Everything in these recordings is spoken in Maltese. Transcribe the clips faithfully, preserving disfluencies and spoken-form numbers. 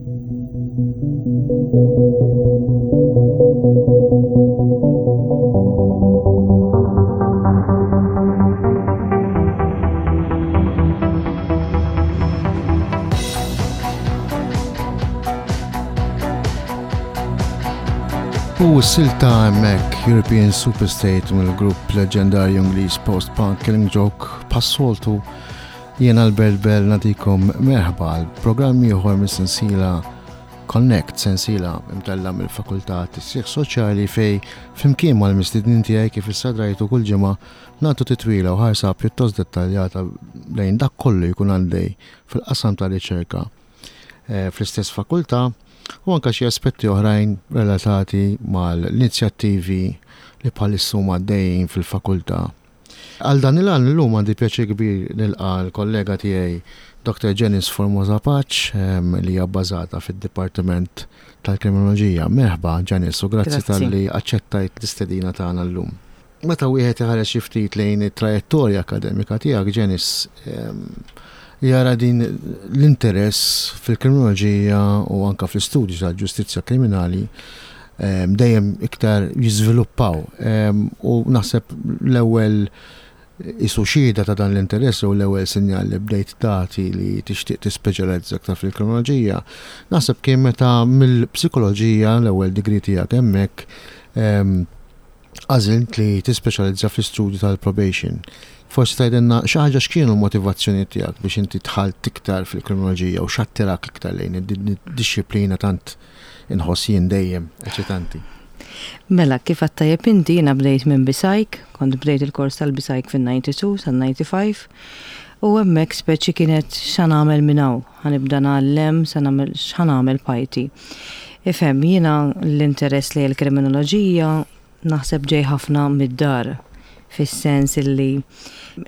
U s-silta hemmhekk European Superstate mill-grupp leġendarju Ingliż post-punk Killing Joke bħas-soltu jien Albert Bell nagħtikom merħba għal programm ieħor mis-sensiela Connect, sensiela imtella mill-Fakultà Tisjieħ Soċjali fej flimkien mal-mistednin tiegħi kif issa drajtu kull ġimgħa nagħtu titwila u ħarsa pjuttost dettaljata lejn dak kollu jkun għaddej fil-qasam ta' riċerka eh, fl-istess fakultà u anka xi aspetti oħrajn relatati mal-inizjattivi li bħalissa huma għaddejjin fil-fakultà. Għal dan il-għan illum għandi pjaċir kbir nilqa l-kollega tiegħi Doctor Janice Formosa Pace li hija bbażata fid-Dipartiment tal-Kriminoloġija. Merħba Janice u grazzi Grazzi. talli aċċettajt l-istedina tagħna llum. Meta wieħed iħares xi ftit lejn it-trajettorja akademika tiegħek Janice, em, jara din l-interess fil-kriminoloġija u anka fl-istudju tal-ġustizzja kriminali em, dejjem iktar jiżviluppaw. Em, U naħseb l-ewwel isu xhieda ta' dan l-interess u l-ewwel sinjal li bdejt tagħti li tixtieq tispeċjalizza aktar fil-kriminoloġija, naħseb kien meta mill-psikoloġija l-ewwel degree tiegħek hemmhekk em, għażilt li tispeċjalizza fl-istudju tal-probation. Forsi tgħidilna xi ħaġa x'kienu l-motivazzjoni tiegħek biex inti dħalt iktar fil-kriminoloġija u x'attirak iktar lejn id-dixxiplina tant inħoss jien dejjem eċitanti. Mela, kif għedt tajjeb inti, jiena bdejt minn B Psych, kont bdejt il-kors tal-B Psych fin-disgħa u disgħin sal-disgħa u disgħin, u hemmhekk speċi kienet x'ħa nagħmel minn hawn, ħa nibda ngħallem, sa nagħmel x'ħa nagħmel b'ħajti. Ifhem, jiena l-interess li l-kriminoloġija naħseb ġej ħafna mid-dar, fis-sens illi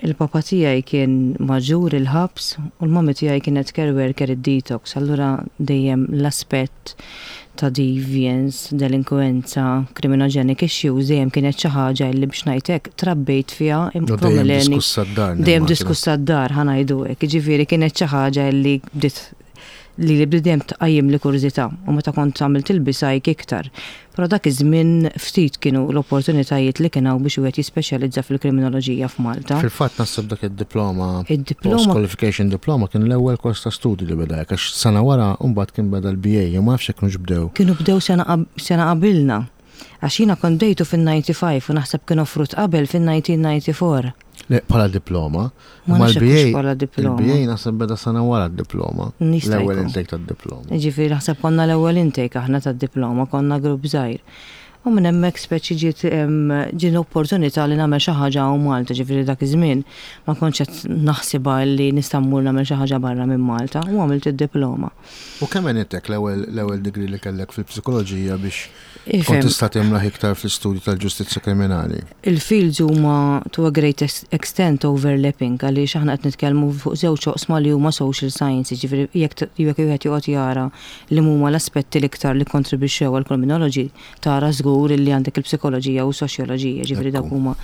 il-papa tiegħi kien maġġur il-ħabs u l-mami tiegħi kienet care worker id-detox, allura dejjem l-aspett ta' deviance, delinkuenza, criminogenic issues dejjem kienet xi ħaġa li biex ngħidlek trabbejt fiha. U dejjem diskussa d-dar. Dejjem nimmaġina. diskussa d-dar, ħa ngħidu hekk, jiġifieri kienet xi ħaġa li bdiet li li bdiet dejjem tqajjem li kurżità u meta kont għamilt il-B Psych iktar. Però dak iż-żmien ftit kienu l-opportunitajiet li kien hawn biex wieħed jispeċjalizza fil-kriminoloġija f'Malta. Fil-fatt naħseb dak id-diploma, Id-diploma post-qualification diploma kien l-ewwel kors ta' studju li beda hekk, għax sena wara mbagħad kien beda l-B A, jew ma nafx jekk kienux bdew. Kienu bdew sena qab- sena qabilna. Għax jiena kont bdejtu fin-disgħa u disgħin u naħseb kienu offrut qabel fin-elf disa' mija u disgħa u disgħin. Le, bħala diploma. Ma Imma nafx jekk l-B A hux bħala diploma. Il-B A naħseb beda sena wara d-diploma. Nista' L-ewwel jkun. intake tad-diploma. Ġifieri naħseb konna l-ewwel intake aħna tad-diploma, konna grupp żgħir. U minn hemmhekk speċi ġiet em, ġiet l-opportunità li nagħmel xi ħaġa hawn Malta, ġifieri dak iż-żmien ma kontx qed naħsibha li nista' mmur nagħmel xi ħaġa barra minn Malta u għamilt id-diploma. U kemm għenitek l-ewwel l-ewwel degree li kellek fil-psikoloġija biex kont Ifhem, tista' timraħ iktar fl-istudju tal-ġustizzja kriminali? Il-fields huma to a great ex- extent overlapping għaliex aħna qed nitkellmu fuq żewġ oqsma li huma social science, ġifieri jekk t- jekk wieħed joqgħod jara li huma l-aspetti l-iktar li kontribwixxew għal criminology, tara żgur li għandek il-psikoloġija u soċjoloġija, ġifieri dak Ekku. huma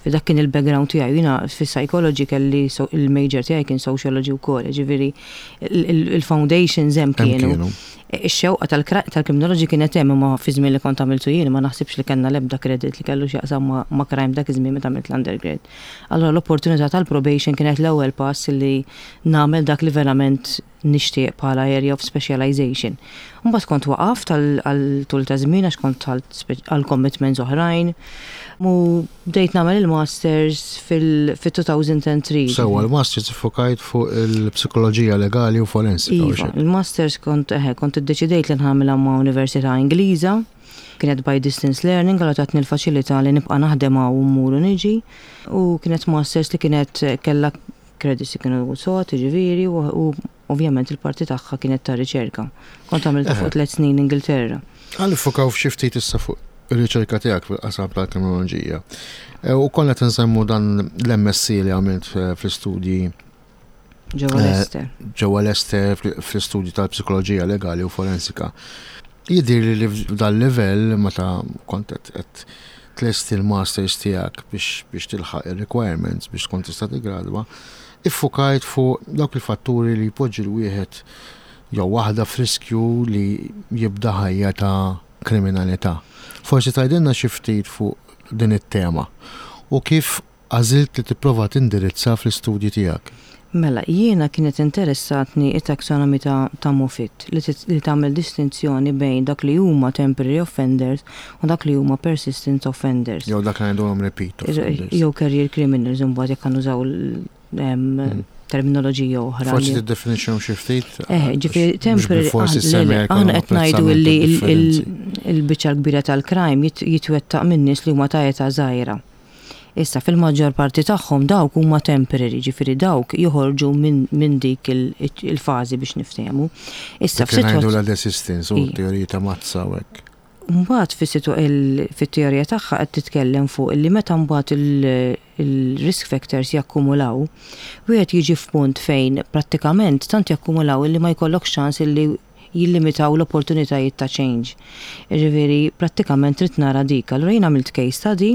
dak kien il-background tiegħi. Jiena fis-psychology kelli so, il-major tiegħi kien sociology wkoll, ġifieri il-foundations hemm Hemm kienu. kienu. Ix-xewqa tal-kriminoloġi kienet hemm, imma fi żmien li kont għamiltu jien ma naħsibx li kellna l-ebda credit li kellu x'jaqsam ma' ma' crime dak iż-żmien meta għamilt l-undergrad. Allora l-opportunità tal-probation kienet l-ewwel pass li nagħmel dak li verament nixtieq bħala area of specialization. Mbagħad kont waqaft għal għal tul ta' żmien għax kont għal għal commitments oħrajn. U bdejt nagħmel il-masters fil-elfejn u tlieta. Sewwa, l-masters iffokajt fuq il-psikoloġija legali u forensika. U Iva, xek. il-masters kont eħe, kont iddeċidejt li nagħmilha ma' Università Ingliża, kienet by distance learning, għal tatni l-faċilità li nibqa' naħdem hawn u mmur u niġi, u kienet masters li kienet kellha credits li kienu sot, ġifieri, u, u ovvjament il-parti tagħha kienet ta' riċerka. Kont għamilta Eħe. fuq tliet snin Ingilterra. Ħa niffukaw f'xi ftit issa fuq ir-riċerka tiegħek fil-qasam tal-kriminoloġija. E, U konna qed nsemmu dan l-M S C li għamilt eh, fl-istudji Ġewwa Eh, Leicester. ġewwa Leicester fl- fl-istudju tal-psikoloġija legali u forensika. Jidhir li f'dan livell meta kont qed qed tlesti l-masters tiegħek biex biex tilħaq ir-requirements biex tkun tista' tiggradwa, iffukajt fuq dawk il-fatturi li jpoġġi l-wieħed Jew waħda f'riskju li jibda ħajja ta' kriminalità. Forsi tgħidilna xi ftit fuq din it-tema u kif għażilt li tipprova tindirizza fl-istudji tiegħek. Mela, jiena kienet interessatni it-taxonomy ta', ta' Moffitt li, li tagħmel distinzjoni bejn dak li huma temporary offenders u dak li huma persistent offenders. Jew dak li ngħidulhom repeat offenders. Jew career criminals, imbagħad jekk nużaw mm. terminoloġija oħra. Forsi tiddefinixxihom xi ftit? Eh, ġifieri temporary, aħna qed ngħidu li il-biċċa l-kbira tal-crime jitwettaq minn nies li huma ta' età żgħira. Issa, fil-maġġor parti tagħhom dawk huma temporary, ġifieri dawk joħorġu minn dik il-fażi, biex niftehmu. Issa f'sitwazzjoni la desistance u teorija ta' Mazza u hekk. Mbagħad fit-teorija tagħha qed titkellem fuq li meta mbagħad il-risk factors jakkumulaw, wieħed jiġi f'punt fejn prattikament tant jakkumulaw illi ma jkollok ċans illi jillimitaw l-opportunitajiet ta' change. Ġifieri prattikament trid nara dik. Allura jien għamilt case study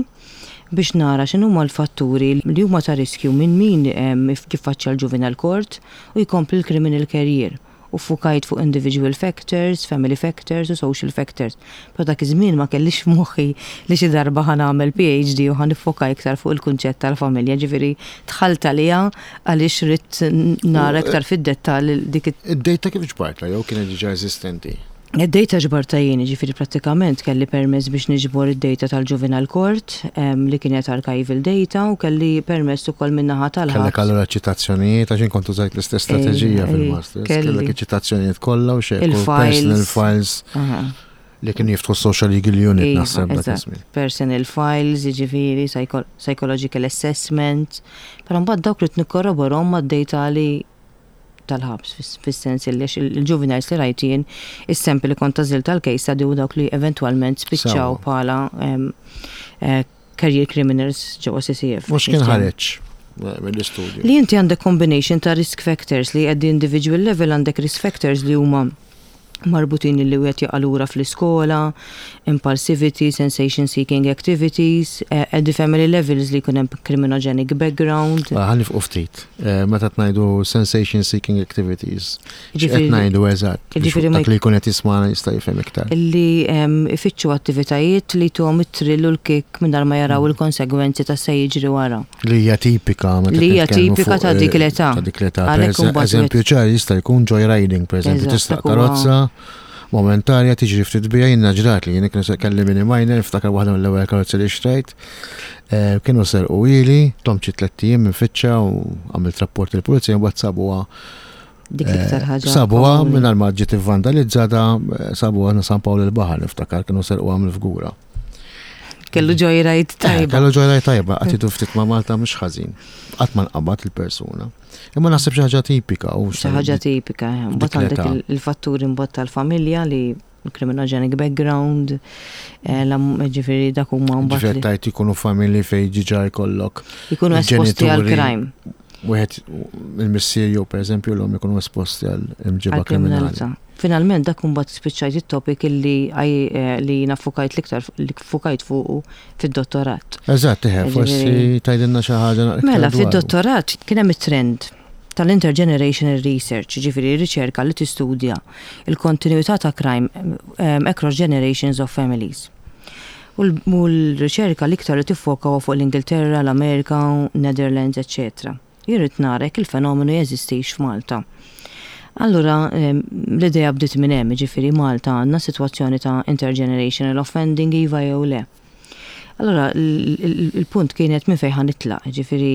biex nara x'inhuma l-fatturi li huma ta' riskju minn min jiffaċċja l-juvenile court u jkompli l-criminal career, u ffukajt fuq individual factors, family factors u social factors. Però dak iż-żmien ma kellix f'moħħi li xi darba ħa nagħmel P H D u ħa niffoka iktar fuq il-kunċett tal-familja, ġifieri dħalt għalija għaliex ridt nara iktar fid-dettall dik. Id-data kif ġbartha jew kienet diġà eżistenti? Id-data ġbartha jien, ġifieri prattikament kelli permess biex niġbor id-data tal-Juvenile Court li kienet archival data u kelli permess ukoll min-naħa tal Kellek allura ċitazzjonijiet, għax kont użajt l-istess strateġija fil-masters. Kellek ċitazzjonijiet kollha u xejn. Il-files. Files li kien jiftħu Social Legal Unit, iva, naħseb dak iż-żmien. Personal files, ġifieri, psychological assessment, però mbagħad dawk li nikkorroborhom mad-data li tal-ħabs, fis-sens li il-juveniles li rajt jien, is-sample li kont għażilt tal-case study u dawk li eventwalment spiċċaw bħala eh, career criminals ġewwa C C F. Mhux kien ħareġ mill-istudju? Li inti għandek combination ta' risk factors, li at the individual level għandek risk factors li huma marbutin li wieħed jaqa' lura fl-iskola, impulsivity, sensation seeking activities, uh, at the family levels li jkun hemm criminogenic background. Ah, ħa nieqfu ftit. Eh, meta ngħidu sensation seeking activities, qed ngħidu eżatt? Ġifieri dak li jkun qed jisma' jista' jifhem iktar. Illi ifittxu attivitajiet li tuhom it-thrill u l-kick mingħajr ma jaraw mm. il-konsegwenzi ta' se jiġri wara. Li hija tipika. Li hija tipika ta' dik l-età. Ta' dik l-età. Eżempju ċar jista' jkun joyriding, per eżempju, tista' karozza momentarja, tiġri ftit bija. Jiena ġrat li jien kienu kelli mini minor, niftakar waħda mill-ewwel karozzi li xtrajt. Eh, kienu serquhieli, domt xi tlett ijiem infittxha u għamilt rapport il-pulizija, mbagħad sabuha. Dik iktar eh, ħaġa. Sabuha mingħajr ma ġiet vandalizzata, eh, sabuha San Pawl il-Baħar, niftakar kienu serquha mill-Fgura. Kellu joyride tajba. Kellu joyride tajba, għatitu ftit ma' Malta mhux ħażin. Qatt ma nqabad il-persuna. Imma naħseb xi ħaġa tipika. Xi ħaġa tipika, mbagħad għandek il-fatturi mbagħad tal-familja li criminogenic background, eh, ġifieri dak huma mbagħad. Ġifieri tajt ikunu familji fejn diġà jkollok. Ikunu esposti għal crime. Wieħed il-missier jew, pereżempju, l-omm ikunu esposti għal imġiba kriminali. Finalment dak mbagħad spiċċajt it-topic illi eh, li jiena ffukajt l-iktar li ffukajt fuqu fid-dottorat. Eżatt, forsi tgħidilna xi ħaġa. Mela, fid-dottorat kien hemm it-trend tal-intergenerational research, ġifieri riċerka li tistudja il-kontinuità ta' crime um, across generations of families. U l-riċerka l-iktar li tiffoka fuq l-Ingilterra, l-Amerika, Netherlands, eccetera. Irrid nara jekk il-fenomenu jeżistix f'Malta. Allura, l-idea bdiet minn hemm, ġifieri Malta għandna sitwazzjoni ta' intergenerational offending, iva jew le? Allora, il-punt kienet minn fejn nitlaq, ġifieri.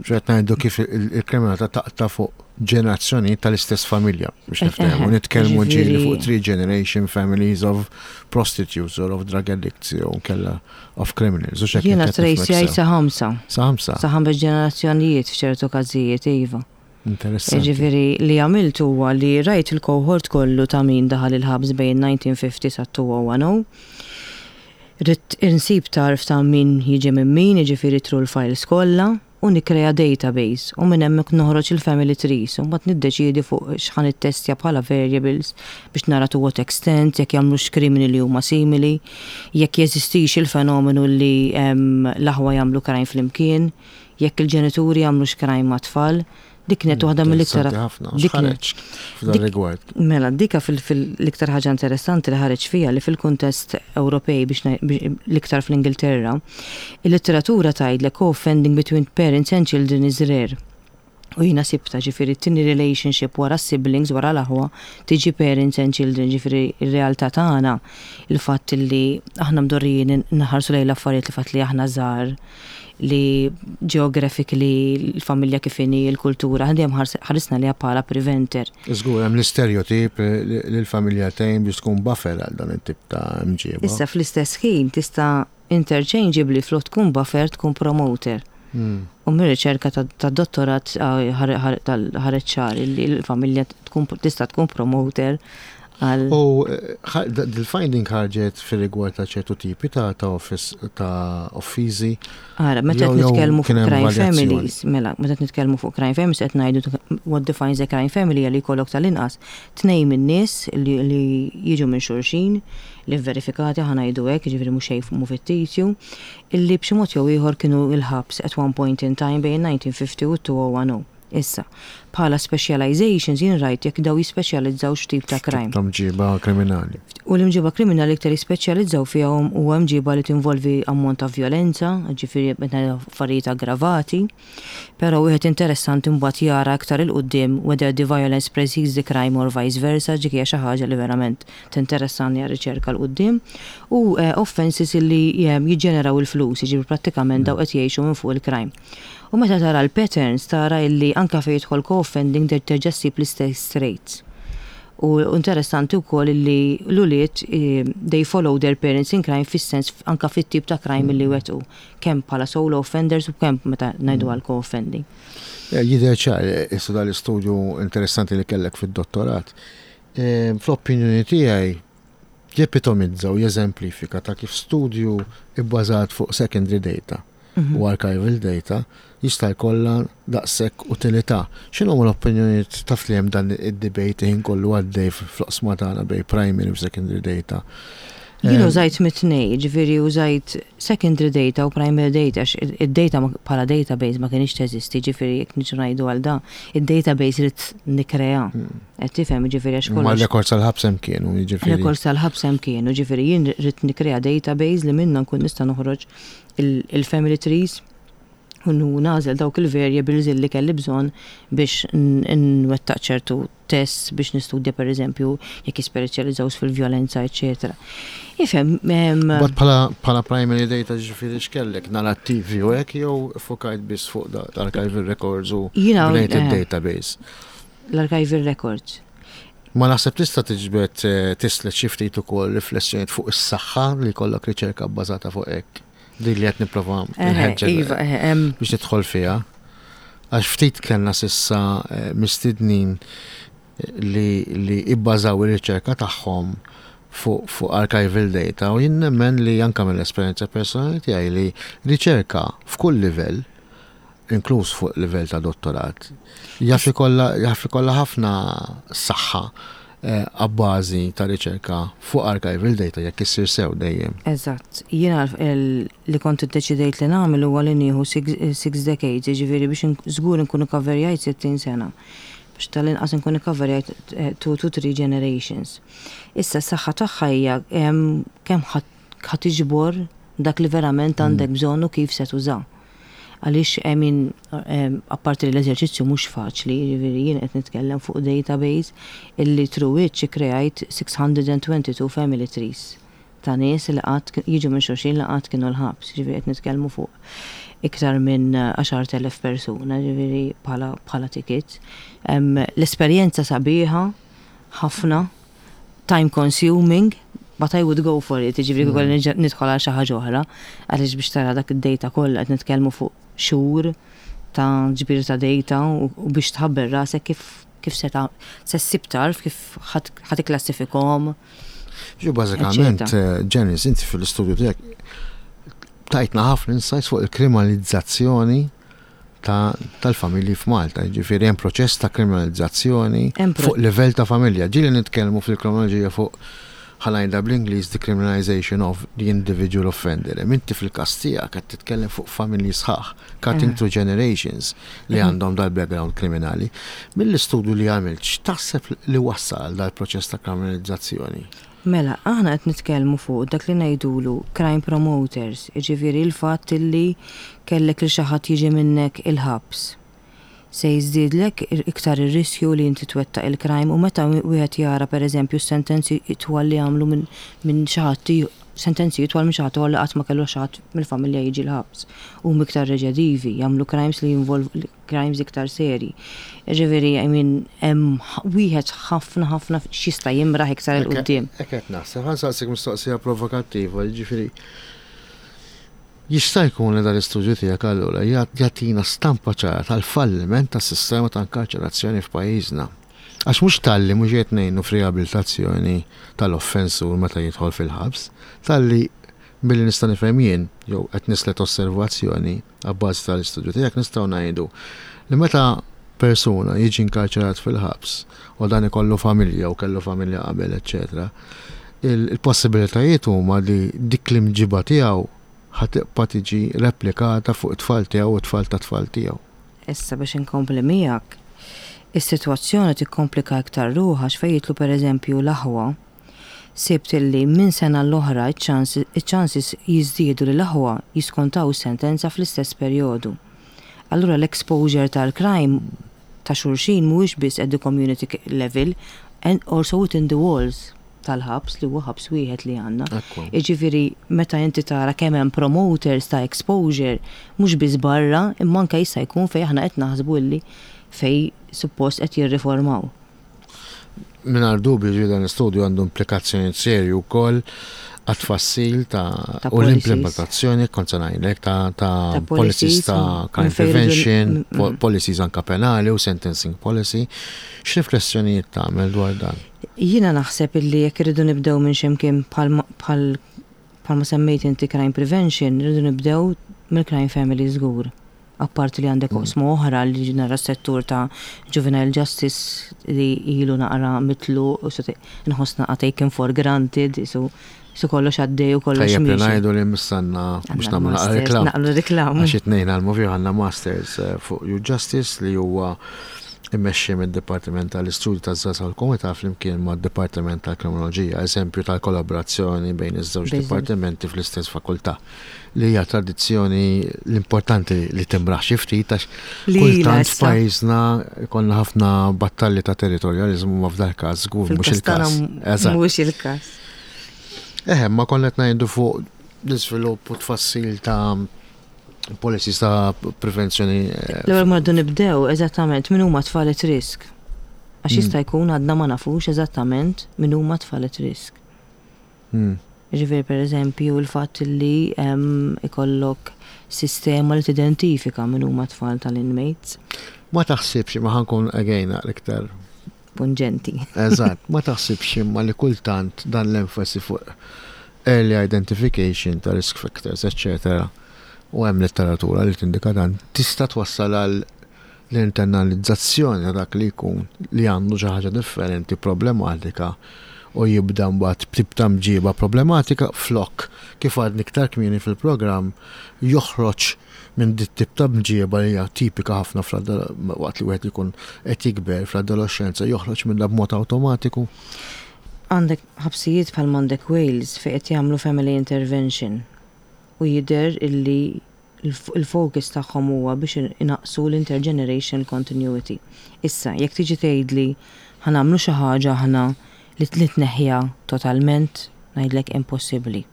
Ġet ngħidu kif il-kriminalità taqta' fuq ġenerazzjoni tal-istess familja, biex eh, niftehmu, eh, nitkellmu ġieli fuq three generation families of prostitutes or of drug addicts jew kella of criminals. Jiena tracejajt sa ħamsa. Sa ħamsa. Sa ħames ġenerazzjonijiet f'ċertu każijiet, iva. Interessanti. Ġifieri li għamilt huwa li rajt il-cohort kollu ta' min daħal il-ħabs bejn elf disa' mija u ħamsin sa elfejn u għaxra. Ridt insib tarf ta' min jiġi minn min, jiġifieri through l-files kollha, u nikreja database u minn hemmhekk noħroġ il-family trees u mbagħad niddeċiedi fuq x'ħa nittestja bħala variables biex nara to what extent, jekk jagħmlux krimini li huma simili, jekk jeżistix il-fenomenu li l-aħwa jagħmlu crime flimkien, jekk il-ġenituri jagħmlux crime ma' tfal. Dik kienet waħda mill-iktar. Ħafna, x'ħareġ f'dan rigward? Mela, dika fil-iktar ħaġa interessanti li ħareġ fija li fil-kuntest Ewropej, biex l-iktar fl-Ingilterra, il-litteratura tgħidlek co-offending between parents and children is rare. U jiena sibtha, ġifieri t-tieni relationship wara siblings, wara l-aħwa, tiġi parents and children. Ġifieri il-realtà tagħna, il-fatt li aħna mdorrijin nħarsu lejn l-affarijiet li fatt li aħna żgħar, li geographically l-familja kif inhi, il-kultura, dejjem ħarisna li bħala preventer. Żgur, hemm l-istereotip li l-familja tgħin biex tkun buffer għal dan it-tip ta' mġieba. Issa fl-istess ħin tista' interchangeably flok tkun buffer tkun promoter. Hmm. U mir-riċerka ta' dottorat ħareġ ċar li l-familja tista' tkun promoter għal. U dil-finding ħarġet fil-rigward ta' ċertu tipi ta' ta' office ta' offiżi? Ara, meta qed nitkellmu fuq crime families, mela, meta qed nitkellmu fuq crime families, qed ngħidu what defines a crime family li jkollok tal-inqas tnejn min-nies li jiġu minn xulxin li verifikati, ħa ngħidu hekk, ġifieri mhux xejn mu fittizju, illi b'xi mod jew ieħor kienu il-ħabs at one point in time bejn elf disa' mija u ħamsin u elfejn u għaxra. Issa, bħala specializations jien rajt jekk daw jispeċjalizzaw x'tip ta' crime. Ta' mġiba kriminali. U l-imġiba kriminali iktar jispeċjalizzaw fiha huwa mġiba li tinvolvi ammont ta' violenza, ġifieri meta affarijiet aggravati, però wieħed interessanti mbagħad jara aktar 'il quddiem whether the violence precedes the crime or vice versa, ġifieri hija xi ħaġa li verament tinteressani għar-riċerka 'l quddiem. U eh, offenses li eh, jiġġeneraw il-flus, jiġifieri prattikament daw qed jgħixu minn fuq il-crime. U meta tara l-patterns tara illi anka fejn jidħol co-offending terġa' ssib l-istess rates. U interessanti wkoll illi l-ulied eh, they follow their parents in crime, fis-sens anka fit-tip ta' crime illi wettqu, kemm bħala solo offenders u kemm meta ngħidu għal co-offending. Eh, jidher ċar, eh, issa dal-istudju interessanti li kellek fid-dottorat. Fl-opinjoni tiegħi jepitomizza u jeżemplifika ta' kif studju ibbażat fuq secondary data Mhm. u archival data jista' jkollha daqshekk utilità. X'inhu l-opinjonijiet, taf li hemm dan id-debate ħin kollu għaddej fl-oqsma tagħna bejn primary u secondary data? Jien użajt mit-tnejn, ġifieri użajt secondary data u primary data, għax id-data bħala database ma kienx teżisti, ġifieri jekk niġu ngħidu għal da, id-database ridt nikkrea. Hmm. Qed tifhem, ġifieri għax Ma kollox. records tal-ħabs hemm kienu, jiġifieri. Records tal-ħabs hemm kienu, ġifieri jien ridt nikkrea database li minna nkun nista' noħroġ il-family trees u nagħżel dawk il-variables li kelli bżonn biex nwettaq ċertu tests biex nistudja, per eżempju, jekk jispeċjalizzaw fil-vjolenza, eċetera. Ifhem, But bħala bħala primary data, ġifieri x'kellek, narrattivi u hekk, jew fokajt biss fuq l-archival records u Jiena bnejt eh, il-database? L-archival records. Ma naħseb tista' tiġbed eh, tislet xi ftit ukoll riflessjonijiet fuq is-saħħa li jkollok riċerka bbażata fuq hekk. Dik li qed nipprova nħeġġeġ Iva, eh, biex nidħol fiha. Għax ftit kellna s'issa eh, mistednin li li ibbażaw ir-riċerka tagħhom fuq fuq archival data u jien nemmen li anka mill-esperjenza personali tiegħi li riċerka f'kull livell, inkluż fuq livell ta' dottorat, jaf ikollha jaf ikollha ħafna saħħa eh, abbażi ta' riċerka fuq archival data jekk issir sew dejjem. Eżatt, jiena li kont iddeċidejt li nagħmel huwa li nieħu six, six decades, jiġifieri biex żgur nkunu coverjajt sittin sena. Biex tal-inqas nkun coverjajt two to three generations. Issa s-saħħa tagħha hija kemm ħa tiġbor dak li verament għandek mm. bżonn u kif se tuża. Għaliex, I mean, apparti li l-eżerċizzju mhux faċli, jiġifieri jien qed nitkellem fuq database illi through which kreajt sitt mija u tnejn u disgħin family trees ta' nies li qatt jiġu minn xulxin li qatt kienu l-ħabs, ġifieri qed nitkellmu fuq iktar minn għaxart elef persuna, ġifieri bħala bħala ticket. L-esperjenza sabiħa ħafna, time consuming, but I would go for it, ġifieri mm. nidħol għal xi ħaġa oħra, għaliex biex tara dak id-data kollha qed nitkellmu fuq xhur ta' ġbir ta' data u biex tħabber rasek kif kif se se ssib tarf kif ħa tikklassifikahom. Ġu bażikament, eh, Janice, inti fil-istudju tiegħek tajtna ħafna insights fuq il-kriminalizzazzjoni tal-familji f'Malta. Ġifieri hemm proċess ta' kriminalizzazzjoni fuq livell ta' familja. Ġieli nitkellmu fil-kriminoloġija fuq Ħa ngħidha bl-Ingliż, decriminalization of the individual offender. Inti fil-każ tiegħek qed titkellem fuq familji sħaħ, cutting Eh. through generations li għandhom dal-background kriminali. Mill-istudju li għamilt, x'taħseb li wassal dal-proċess ta' kriminalizzazzjoni? Mela, aħna qed nitkellmu fuq dak li ngħidulu crime promoters, jiġifieri l-fatt illi kellek li xi ħadd jiġi minnek il-ħabs. Se jiżdiedlek iktar ir-riskju li inti twettaq il-crime u meta wieħed jara, pereżempju, sentenzi twal li għamlu minn min xi ħadd, sentenzi twal minn xi ħadd li qatt ma kellu xi ħadd mill-familja jiġi l-ħabs. Huma iktar reċidivi, jagħmlu crimes li jinvolvu crimes iktar seri. Ġifieri, I mean, hemm wieħed ħafna ħafna x'jista' jimraħ iktar 'il quddiem. Hekk qed naħseb, ħa nsaqsik mistoqsija provokattiva, ġifieri jista' jkun li dal-istudju tiegħek allura jagħtina stampa ċara tal-falliment tas-sistema ta' inkarċerazzjoni f'pajjiżna. Għax mhux talli mhux qed ngħinu f'riabilitazzjoni tal-offensur meta jidħol fil-ħabs, talli billi nista' nifhem jien jew qed nislet osservazzjoni abbażi tal-istudju tiegħek, nistgħu ngħidu li meta persuna jiġi inkarċerat fil-ħabs u dan ikollu familja u kellu familja qabel, eċċetera, il-possibilitajiet huma li dik l-imġiba tiegħu ħa tibqa' tiġi replikata fuq it-tfal tiegħu u t-tfal ta' tfal tiegħu. Issa biex inkompli miegħek, is-sitwazzjoni tikkomplika iktar ruħha x'fejn jidħlu, pereżempju, l-aħwa. Sibt illi minn sena l-oħra iċ-chances jiżdiedu li l-aħwa jiskontaw sentenza fl-istess perjodu. Allura l-exposure tal-crime ta' xulxin mhuwiex biss at the community level and also within the walls tal-ħabs, li huwa ħabs wieħed li għandna. Ekku. Jiġifieri meta inti tara kemm hemm promoters ta' exposure mhux biss barra, imma anke jista' jkun fejn aħna qed naħsbu illi fej suppost qed jirriformaw. Mingħajr dubju, ġi dan l-istudju għandu implikazzjoni serju wkoll għat-tfassil ta' Ta' u policies. l-implementazzjoni, kont se ngħidlek, ta' ta' Ta' policies policies, ta' mm, crime minn fejn irridu- prevention, mm, po- mm. policies anka penali u sentencing policy. X'riflessjonijiet tagħmel dwar dan? Jiena naħseb illi jekk irridu nibdew minn ximkien bħalma bħal bħalma semmejt inti crime prevention, irridu nibdew mill-crime family żgur. Apparti li għandek oqsma oħra li nara settur ta' juvenile justice li ilu naqra mitlu u se nħoss naqra taken for granted, so so kollox għaddej u kollox Tajjeb li miexi. ngħidu li mistanna biex Għandna nagħmlu naqra masters, reklam. Naqlu reklam. Għax it-tnejn għal-movju għandna masters eh, fuq Youth Justice li huwa immexxi mid-Dipartiment tal-Istudju taż-Żgħażagħ tal-Komunità flimkien mad-Dipartiment tal-Kriminoloġija, eżempju tal-kollaborazzjoni bejn iż-żewġ Bejn dipartimenti fl-istess fakultà, li hija tradizzjoni l-importanti li timraħ xi ftit għax Li ilha kultant issa. f'pajjiżna konna ħafna battalji ta' territorjalizmu, ma f'dal każ żgur mhux Fil-każ tagħna il-każ. Eżatt. mhux il-każ. Eħe, ma konna qed ngħidu fuq l-iżvilupp u tfassil ta' policies ta' prevenzjoni. eh, L-ewwel ma rridu nibdew eżattament min huma tfal at risk. Għax Mm. jista' jkun għadna ma nafux eżattament min huma tfal at risk. mm, Ġifieri, per eżempju, il-fatt li em, ikollok sistema li tidentifika min huma tfal tal-inmates. Ma taħsibx, ma ħa nkun again iktar Pungenti. Eżatt, ma taħsibx imma li kultant dan l-enfasi fuq early identification ta' risk factors, eccetera, u hemm letteratura li tindika dan, tista' twassal għal l-internalizzazzjoni ta' dak li jkun li għandu xi ħaġa differenti, problematika, u jibda mbagħad b'tip ta' mġiba problematika, flok kif għadni iktar kmieni fil-programm joħroġ minn dit tip ta' mġiba li hija tipika ħafna fl- waqt li wieħed ikun qed jikber fl-adolescenza, joħroġ minn b'mod awtomatiku. Għandek ħabsijiet bħal m'għandek Wales fejn qed jagħmlu family intervention u jidher illi il- il-focus tagħhom huwa biex inaqsu l-intergeneration continuity. Issa, jekk tiġi tgħidli ħa nagħmlu xi ħaġa aħna li li tneħħiha totalment, ngħidlek impossibbli.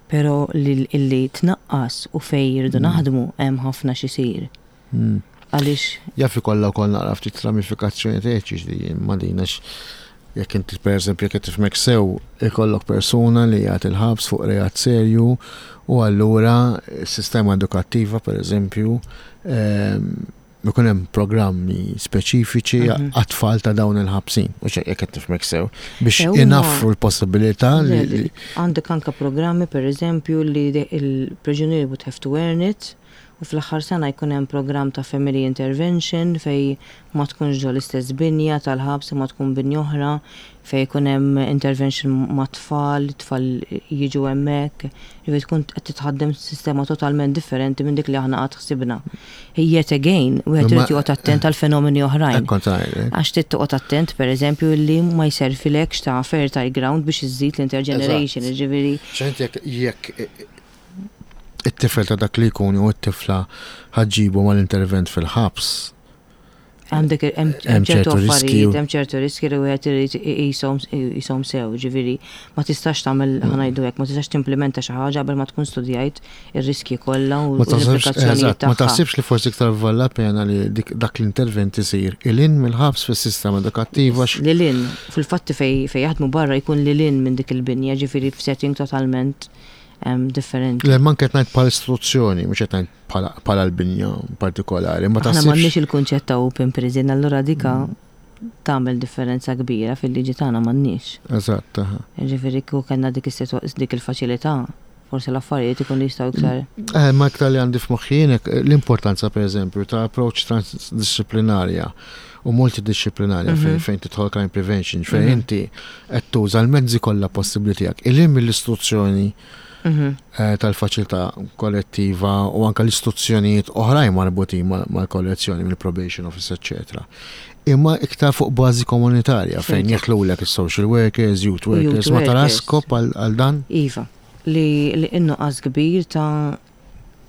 Però li illi tnaqqas u fej jirdu naħdmu, hemm ħafna x'isir. Mm. Għaliex Jaf ikollha wkoll naqra ftit ramifikazzjoni etiċi li ma din, għax jekk inti, pereżempju, jekk tifhmek sew, ikollok persuna li jgħat il-ħabs fuq reat serju u allura s-sistema edukattiva, pereżempju, ehm, ikun hemm programmi speċifiċi Mhm. għat-tfal ta' dawn il-ħabsin, u jekk qed tifhmek sew, biex E huma- inaffru l-possibilità li Le, li- Għandek anka programmi, per eżempju, li de- il-priġunieri would have to earn it. U fl-aħħar sena jkun hemm programm ta' family intervention fej ma tkunx ġo l-istess binja tal-ħabs, ma tkun binja oħra, fej jkun hemm intervention ma' tfal, tfal jiġu hemmhekk, ġifieri tkun qed titħaddem sistema totalment differenti minn dik li aħna qatt ħsibna. Yet again, wieħed irid joqgħod attent għal fenomeni oħrajn. Għax trid toqgħod attent, pereżempju, li ma jservilekx ta' fertile ground biex iżżid l-intergeneration, ġifieri. Jekk it-tifel ta' dak li jkun u t-tifla ħa ġġibu mal-intervent fil-ħabs. Għandek hemm ċertu affarijiet, hemm ċertu riski li wieħed irid iqishom sew, ġifieri ma tistax tagħmel, ħa ngħidu hekk, ma tistax timplementa xi ħaġa qabel ma tkun studjajt ir-riski kollha u l-implikazzjonijiet. Ma taħsibx li forsi iktar vale la pena li dak l-intervent isir lil hinn mill-ħabs fis-sistema edukattiva? Lil hinn, fil-fatti fej jaħdmu barra jkun lil hinn minn dik il-binja, ġifieri f'setting totalment differenti. Le, man qed ngħid bħala istituzzjoni, mhux qed ngħid bħala l-binja partikolari. Ma taħsibx. M'għandniex il-kunċett ta' open prison, allura dika tagħmel differenza kbira, fil-liġi tagħna m'għandniex. Eżatt. Ġifieri kieku kellna dik dik il-faċilità, forsi l-affarijiet ikun jistgħu iktar. Eh, ma iktar li għandi f'moħħi l-importanza, pereżempju, ta' approach transdisciplinarja u multidisciplinarja fejn mhm. fejn tidħol crime prevention, fejn mhm. inti qed tuża l-mezzi kollha possibbli tiegħek. Lil hinn mill-istituzzjoni Mhm. Eh, tal-faċilità kollettiva u anka l-istituzzjonijiet oħrajn marbutin mal-kollezzjoni, mill-probation office, eccetera. Imma iktar fuq bażi komunitarja fejn jidħlulek is-social workers, youth workers, ma tara skop għal dan? Iva, li in-nuqqas kbir ta'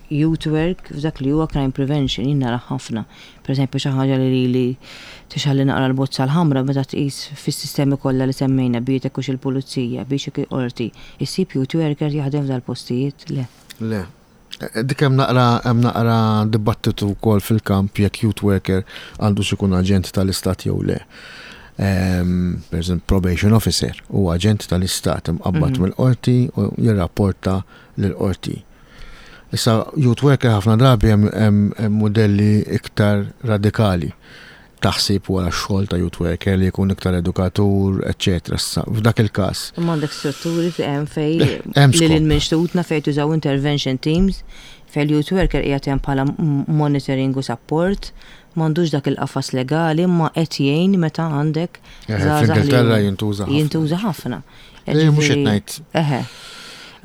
youth work f'dak li huwa crime prevention jien nara ħafna. Per eżempju, xi ħaġa li li tixgħelli naqra l-bozza l-ħamra, meta tqis fis-sistemi kollha li semmejna, bietek hux il-pulizija, biex qorti, issib youth worker jaħdem f'dal-postijiet? Le. Le. Eh, dik hemm naqra hemm naqra dibattitu wkoll fil-kamp jekk youth worker għandu ikun aġent tal-istat jew le. Um, per eżempju, probation officer u aġent tal-istat imqabbad mm -hmm. mill-qorti u jirrapporta lill-qorti. Issa, youth worker ħafna drabi hemm modelli iktar radikali taħsib wara xogħol ta' youth worker li jkun iktar edukatur, eċċetera. Issa, f'dak il-każ. Imma għandek strutturi hemm fej li l-minxtutna fej tużaw intervention teams, fej l-youth worker qiegħed hemm bħala monitoring u support, m'għandux dak il-qafas legali, ma qed jgħin meta għandek. Fl-Ingilterra jintuża. Jintuża ħafna. Mhux qed ngħid. Eħe.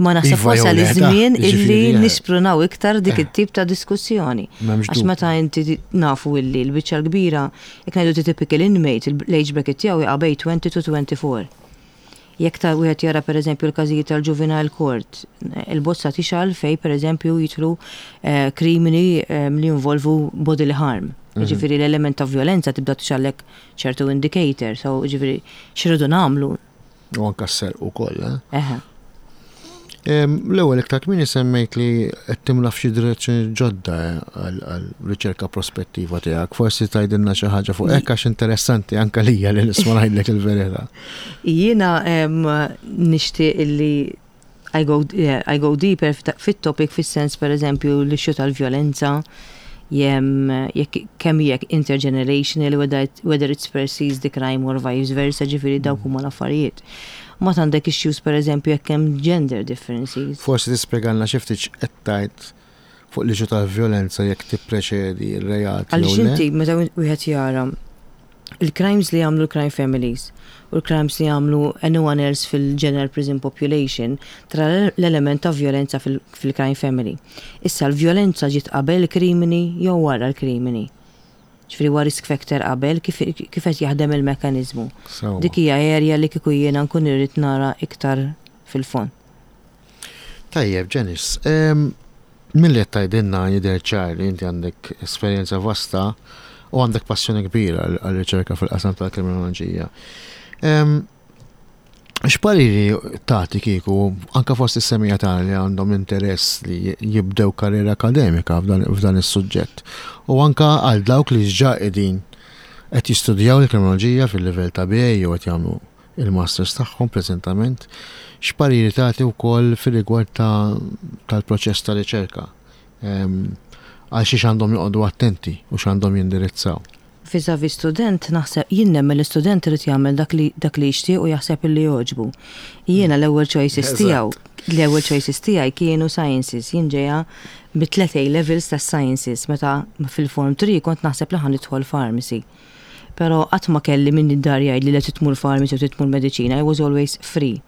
Ma naħseb iva wasal iż-żmien illi nisprunaw iktar dik eh. it-tip ta' diskussjoni. Għax meta inti nafu illi l-biċċa l-kbira, jekk ngħidu typical inmate, l-age bracket tiegħu jaqa' bejn twenty to twenty-four. Jekk ta' wieħed jara, pereżempju, l-każijiet tal-juvenile court, il-bozza tixgħel fej pereżempju jidħlu eh, krimini eh, li jinvolvu bodily harm. Mhm. Ġifieri l-element ta' violenza tibda tixgħellek ċertu indicator, so ġifieri x'irridu nagħmlu. U anka s-serq ukoll, eh? Eħe. L-ewwel, iktar kmieni semmejt li qed timla f'xi direzzjoni ġodda eh, għal riċerka prospettiva tiegħek. Forsi tgħidilna xi ħaġa fuq hekk, għax interessanti anke lija li nisma', ngħidlek il-verità. Jiena nixtieq illi I go, yeah, I go deeper fit-topic, fis-sens, per eżempju, l-issue tal-violenza, jem jekk kemm jekk intergenerational, whether, whether it's perceived the crime or vice versa, ġifieri dawk huma l-affarijiet. Ma għandek issues, per eżempju, jekk hemm gender differences. Forsi tispjegalna xi ftit qed tgħid fuq l-issue tal-violenza, jekk tippreċedi r-reat. Għaliex inti meta wieħed jara il-crimes li jagħmlu l-crime families u l-crimes li jagħmlu anyone else fil-general prison population, tra l-element ta' violenza fil-crime family. Issa, l-violenza ġiet qabel il-krimini jew wara l-krimini? Ġifieri huwa risk factor qabel, kif qed jaħdem il-mekanizmu? Dik hija area li kieku jiena nkun irrid nara iktar fil-fond. Tajjeb, Janice, milli qed tgħidilna jidher ċar li inti għandek esperjenza vasta u għandek passjoni kbira għal-riċerka fil-qasam tal-kriminoloġija. X'pariri tagħti kieku anka fost is-semmiegħa tagħna li għandhom interess li jibdew karriera akademika f'dan is-suġġett u anka għal dawk li ġa qegħdin qed jistudjaw il-kriminoloġija fil-livell ta' B A jew qed jagħmlu il-masters tagħhom preżentament, x'pariri tagħti wkoll fir-rigward tal-proċess ta' riċerka? Għal xiex għandhom joqogħdu attenti u x'għandhom jindirizzaw? Vis-à-vis student, naħseb, jien nemmen l-istudent irid jagħmel dak li dak li jixtieq u jaħseb li jogħġbu. Jiena l-ewwel choices tiegħu, l-ewwel choices tiegħi kienu sciences, jien ġejja bi tliet A levels ta' sciences, meta fil-form three kont naħseb li ħa nidħol pharmacy. Pero qatt ma kelli minn id-dar jgħid li le tmur pharmacy u tmur mediċina, I was always free.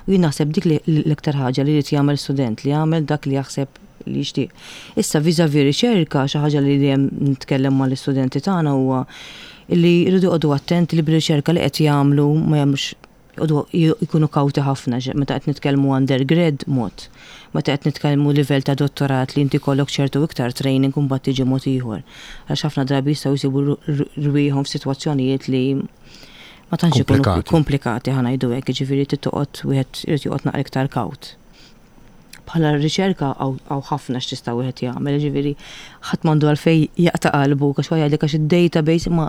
U jien naħseb dik li l-iktar ħaġa li jrid jagħmel student, li jagħmel dak li jaħseb li jixtieq. Issa vis-à-vis riċerka, xi ħaġa li dejjem nitkellem mal-istudenti tagħna huwa li jridu joqogħdu attenti li bir-riċerka li qed jagħmlu ma jagħmlux, joqogħdu jkunu kawti ħafna meta qed nitkellmu undergrad mod. Meta qed nitkellmu livell ta' dottorat li inti kollok ċertu iktar training u mbagħad tiġi mod ieħor. Għax ħafna drabi jistgħu jsibu rwieħhom f'sitwazzjonijiet li ma tantx ikunu komplikati, ħa ngħidu hekk, jiġifieri trid toqgħod, wieħed irid joqgħod naqra iktar kawt. Bħala riċerka hawn ħafna x'tista' wieħed jagħmel, jiġifieri ħadd m'għandu għalfejn jaqta' qalbu għax jgħidlek għax id-database, ma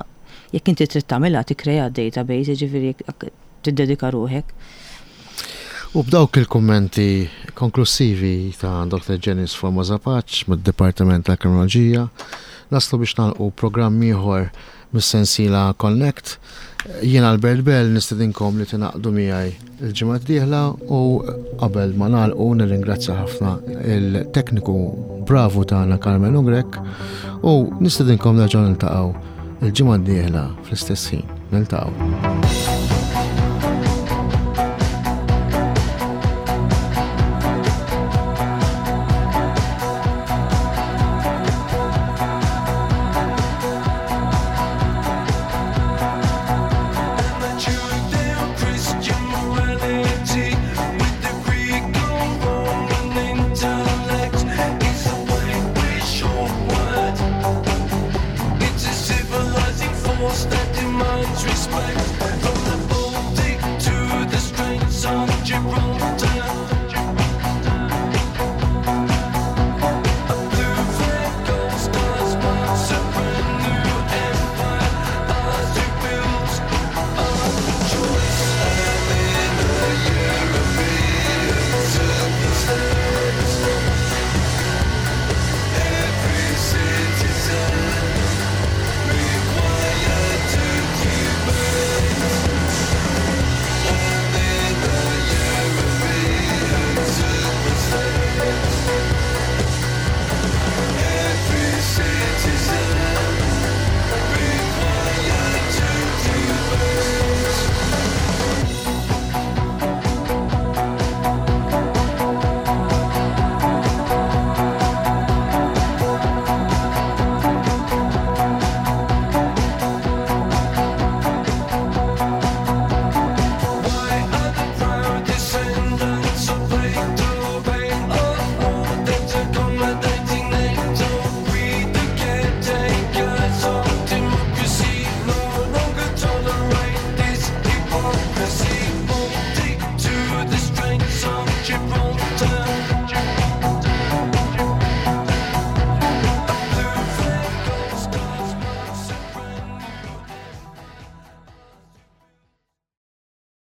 jekk inti trid tagħmilha tikkrea database, jiġifieri jekk tiddedika ruħek. U b'dawk il-kummenti konklusivi ta' Doctor Janice Formosa Pace mid-Dipartiment tal-Kriminoloġija naslu biex nagħlqu programm ieħor mis-sensiela Connect. Jien Albert Bell nistedinkom li tingħaqdu miegħi il-ġimgħa d-dieħla u qabel ma nagħlqu nirringrazzja ħafna il-tekniku bravu tagħna Carmen Ugrek u nistedinkom nerġgħu niltaqgħu il-ġimgħa d-dieħla fl-istess ħin. Niltaqgħu.